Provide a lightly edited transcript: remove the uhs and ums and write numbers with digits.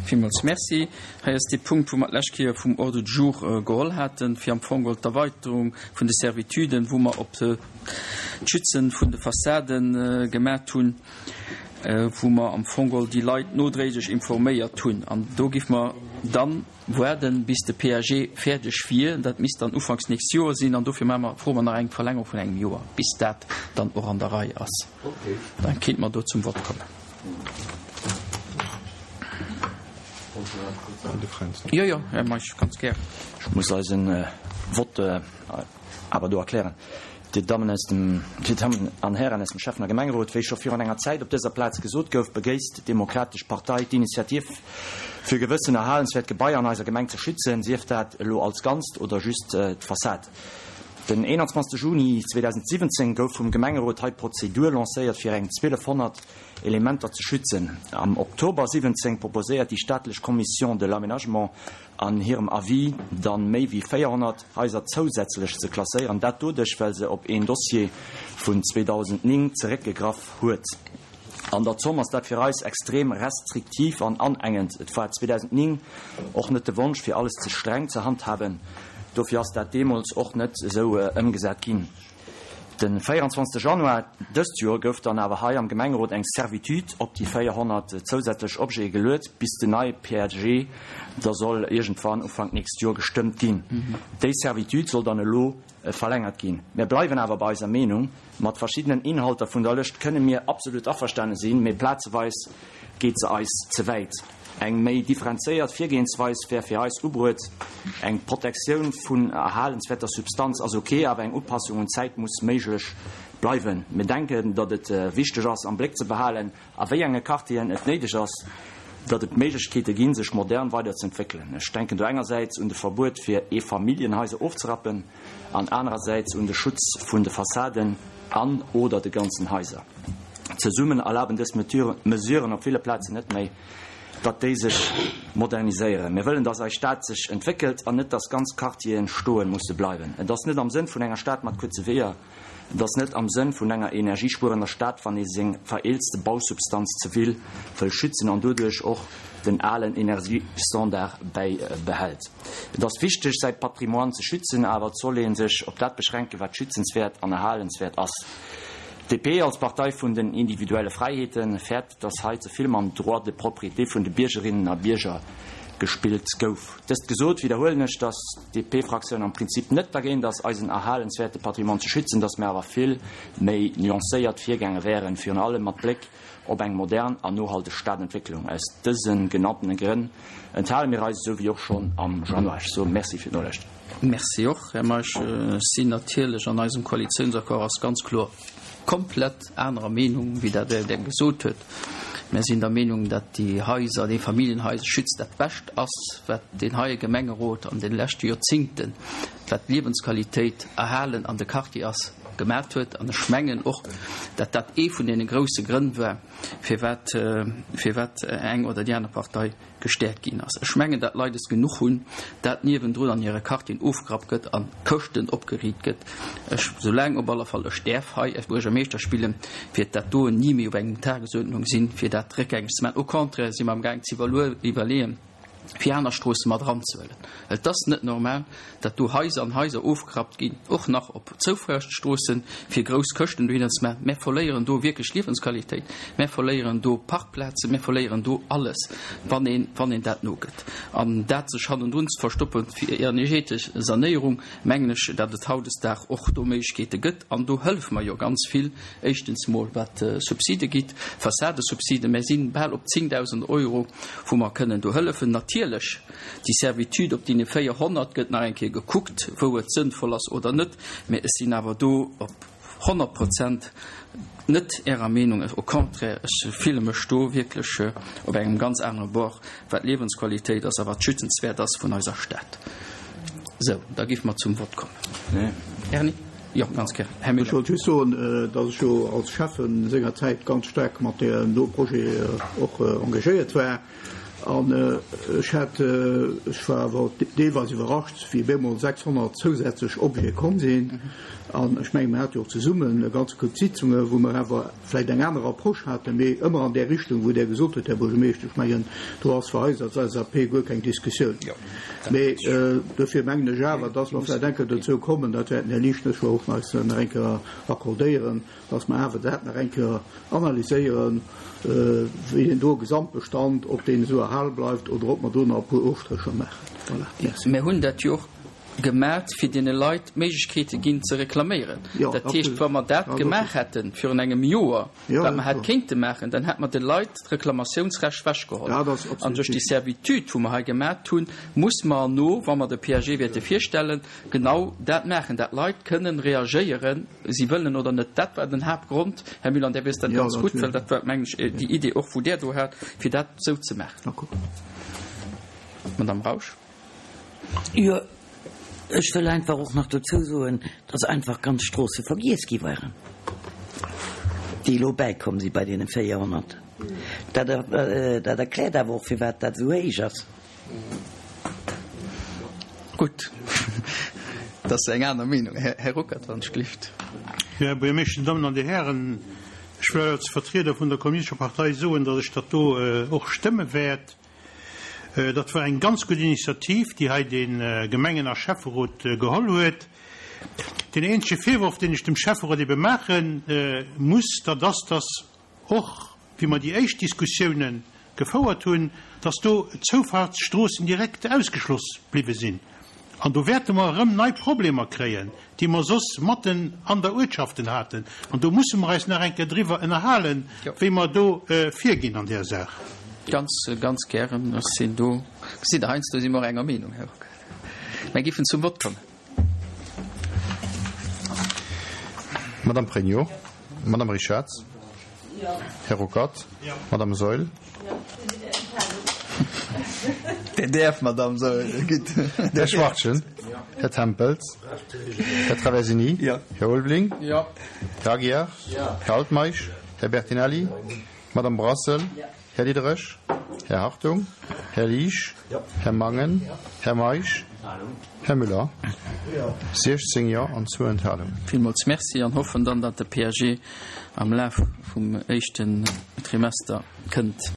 Villmools Merci. Hei ass dee Punkt, wou mer d'lescht Kéier vum Ordre du jour geholl haten, fir am Fong geholl d'Erweiterung vun de Servituden, wou mer op d'Schützen vun de Fassade gemat hunn, wou mer am Fong geholl déi Leit nodréiglech informéiert hunn. An do géife mer dann waarden, bis de PAG fäerdeg wier. Dat misst dann ufanks nächst Joer sinn. An dofir maache mer, froe mer nach eng Verlängerung vun engem Joer, bis dat dann och an der Rei ass. Da kéinte mer do zum Vott kommen. Jo, jo, Här Meisch, ganz gär. Ech muss eisen Vott awer do erklären. Dir Dammen aus dem, Dir Dammen an Hären aus dem Schäffen a Gemengerot, wéi scho virun enger Zäit op dëser Plaz gesot gouf, begéisst d'Demokratesch Partei d'Initiativ, fir gewëssen erhalenswäert Gebaier an eiser Gemeng ze schützen, sief dat elo als Ganzt oder just d'Fassad. Den 21 Juni 2017 gouf vum Gemengerot hei d'Prozedur lancéiert, fir eng 1200 Elementer ze schützen. Am Oktober 17 proposéiert déi staatlech Commission de l'aménagement an hirem Avis dann méi wéi 400 Haiser zousätzlech ze klasséieren, dat doduerch, well se op een Dossier vun 2009 zeréckgegraff huet. An der Zomm ass dat fir eis extrem restriktiv an anengend. Et war 2009 och net de Wonsch, fir alles ze streng ze handhaben, dofir ass dat deemools och net esou ëmgesat ginn. De 24 Januar dëst Joer gouf dann awer hei am Gemengerot eng Servitude op déi 400 zousätzlech Objete geluet, bis den neie PAG da soll iergendwann Ufank nächst Joer gestëmmt ginn. Déi Servitude soll dann elo verlängert ginn. Mir bleiwen awer bei eiser Meenung. Mat verschiddenen Inhalter vun der Lëscht kënne mir absolut averstane sinn, mee plazeweis geet se eis ze wäit. Eng méi differenzéiert Virgehensweis wär fir eis ubruet. Eng Protektioun vun erhalenswäerter Substanz ass ok, awer eng Upassung un d'Zäit muss méiglech bleiwen. Mir denken, datt et wichteg ass am Bléck ze behalen, a wéi enge Quartieren et néideg ass, datt et Méiglechkeete ginn, sech modern weiderzeentwéckelen. Ech denken do engersäits un de Verbuet fir Eefamilljenhaiser ofzerappen an anerersäits un de Schutz vun de Fassaden an oder de ganzen Haiser. Zesummen erlaben dës Mesuren op ville Plazen net méi, datt déi sech moderniséieren. Mir wëllen, datt eis Stad sech entwéckelt an net, datt ganz Quartieren stoe musse bleiwen. Et ass net am Sënn vun enger Stad mat kuerze Weeër. Et ass net am Sënn vun enger energiespuerender Stad, wann ee seng vereelzte Bausubstanz ze vill wëll schützen an doduerch och den alen Energiestandard bäibehält. Et ass wichteg, säi Patrimoine ze schützen, awer et soll ee sech op dat beschränken, wat schützenswäert an erhalenswäert ass. D'DP als Partei vun den individuelle Fräiheeten fäert, dass hei ze vill mam Droit de propriété vun de Biergerinnen a Bierger gespillt gouf. Dëst gesot, widderhuelen ech, dass d'DP-Fraktioun am Prinzip net dergéint ass, eisen erhalenswäerte Patrimoine ze schützen, dass mir awer vill méi nuancéiert virgaange wären, virun allem mat Bléck op eng modern an nohalteg Stadentwécklung. Aus dëse genanntene Grënn enthale mir eis, esou wéi och schonn am Januar. Ech soe Merci fir d'Nolauschtere. Merci och, Här Meisch. Ech sinn natierlech, an eisem Koalitiounsaccord ass ganz kloer komplett anerer Meenung, wéi dat Der gesot huet. Mär sinn der Meenung, datt déi Haiser, déi Familljenhaiserschütz dat Bescht ass, wat deen heie Gemengerot an de leschte Joerzingten, wat d'Liewensqualitéit erhalen an de Quartier ass, gemat huet. An ech mengen och, datt dat ee vun deene grousse Grënn war, firwat, firwat eng oder déi aner Partei gestäerkt ginn ass. Ech mengen, dat d'Leit es genuch hunn, dat niewendrun an hire Quartieren ofgerappt gëtt a Këschten opgeriit gëtt. Ech, soulaang op alle Fall ech däerf hei als Buergermeeschter spillen, wäert dat doen ni méi op engem Tagesuerdnung sinn, fir dat réckgängeg ze maachen. Au contraire si mer amgaang ze iwwerleeën, fir aner Stroosse mat eranzehuelen. Et ass net normal, datt do Haiser an Haiser ofgerappt ginn, och nach op Zoufuerstroossen, fir grouss Këschten dohinner ze maachen. Mär verléieren do wierklech Liewensqualitéit, mär verléieren do Parkplazen, mär verléieren do alles, wann een, wann een dat nogëtt. An dat sech hannendrun ze verstoppen fir energetesch Sanéierung, mengen ech, datt et hautdesdag och do Méiglechkeete gëtt. An do hëllefe mer jo ganz vill, éischtens mol wat Subside gitt, Fassadesubsiden, mär si bal op 10.000 Euro, wou mer kënnen do hëllefen. Natierlech Déi Servitude op deene 400 gëtt nach eng Kéier gekuckt, wou et sënnvoll ass oder net, mä ech sinn awer do op 100 Prozent net Ärer Meenung. Au contraire, ech fille mech do wierklech op engem ganz anere Bord, wat d'Liewensqualitéit ass a wat schützenswäert ass vun eiser Stad. Sou, da géife mer zum Vott kommen. Erni? Jo, ganz gär. Här Miller. Ech wollt just soen, datt ech jo als Schäffen sengerzäit ganz staark mat deem do Projet och engagéiert war. An ech hat, ech war awer deelweis iwwerrascht, wéi op eemol 600 zousätzlech Objete komm sinn. An ech mengen, mir hate jo och zesummen e ganze Koup Sitzungen, wou mer awer vläicht eng aner Approche haten, mee ëmmer an där Richtung, wou Der gesot hutt, Här Buergermeeschter. Ech mengen, do ass fir eis als LSAP guer keng Diskussioun. Mee dofir mengen ech awer, dass mer vläicht eng Kéier dozou kommen, dat wäert den Här Lischnes jo och eis nach eng Kéier accordéieren, dass mer awer dat nach eng Kéier analyséieren, wéi deen do Gesamtbestand, ob deen esou erhale bleift oder ob mer do nach e puer Ofstrécher maachen. Voilà, merci. Mir hunn dat jo och gemat, fir deene Leit d'Méiglechkeete ginn ze reklaméieren. Dat heescht, wa mer dat gemaach hätte virun engem Joer, wat mer hätt kéinte maachen, dann hätt mer de Leit d'Reklamatiounsrecht ewechgeholl. An duerch déi Servitude, wou mer hei gemat hunn, muss mer erno, wa mer de PAG wäerte virstellen, genau dat maachen, dat d'Leit kënnen reagéieren, si wëllen oder net. Dat war den Haaptgrond, Här Müller, an Där wësst dat ganz gutt, well dat war, mengen ech, déi Idee och, wou Där do hat, fir dat esou ze maachen. Madame Rausch. Jo, ech wëll einfach och nach dozou soen, dass einfach ganz Stroosse vergiess gi waren, déi elo bäikomm si bei deene 400. Dat, dat erkläert awer och, firwat dat esou héich ass. Gutt, dat ass eng aner Meenung. Här Ruckert, wann ech gelift. Jo, Här Buergermeeschter, Dir Dammen an Dir Hären, ech wëll als Vertrieder vun der Kommunistescher Partei soen, dass ech dat do och stëmme wäert. Dat war eng ganz gutt Initiativ, déi hei de Gemengen a Schäfferot geholl huet. Deen eenzege Virworf, deen ech dem Schäfferot ebe maache muss, dat ass, dass och wéi mer déi éischt Diskussiounen gefouert hunn, dass do Zoufahrtsstroossen direkt ausgeschloss bliwwe sinn. An do wäerte mer erëm nei Problemer kréien, déi mer soss matten an der Uertschaften haten. An do musse mer eis nach eng Kéier driwwer ënnerhalen, wéi mer do virginn an där Saach. Ganz, ganz gären. Ech sinn do. Gesitt Der, heiansdo si mer och enger Meenung, Här Ruckert. Mer géifen zum Vott kommen. Madame Pregno. Madame Richarz. Här Ruckert. Madame Saeul. Dir däerft, Madame Saeul. Gutt. Här Schwachtgen. Här Tempels. Här Traversini. Här Ulveling. Här Aguiar. Här Altmeisch. Här Bertinelli. Madame Brassel. Här Diderich. Här Hartung. Här Liesch. Här Mangen. Här Meisch. Här Müller. 16 Jo an zwou Enthalungen. Villmools Merci an hoffen dann, datt de PAG am Laf vum éischten Trimester kënnt.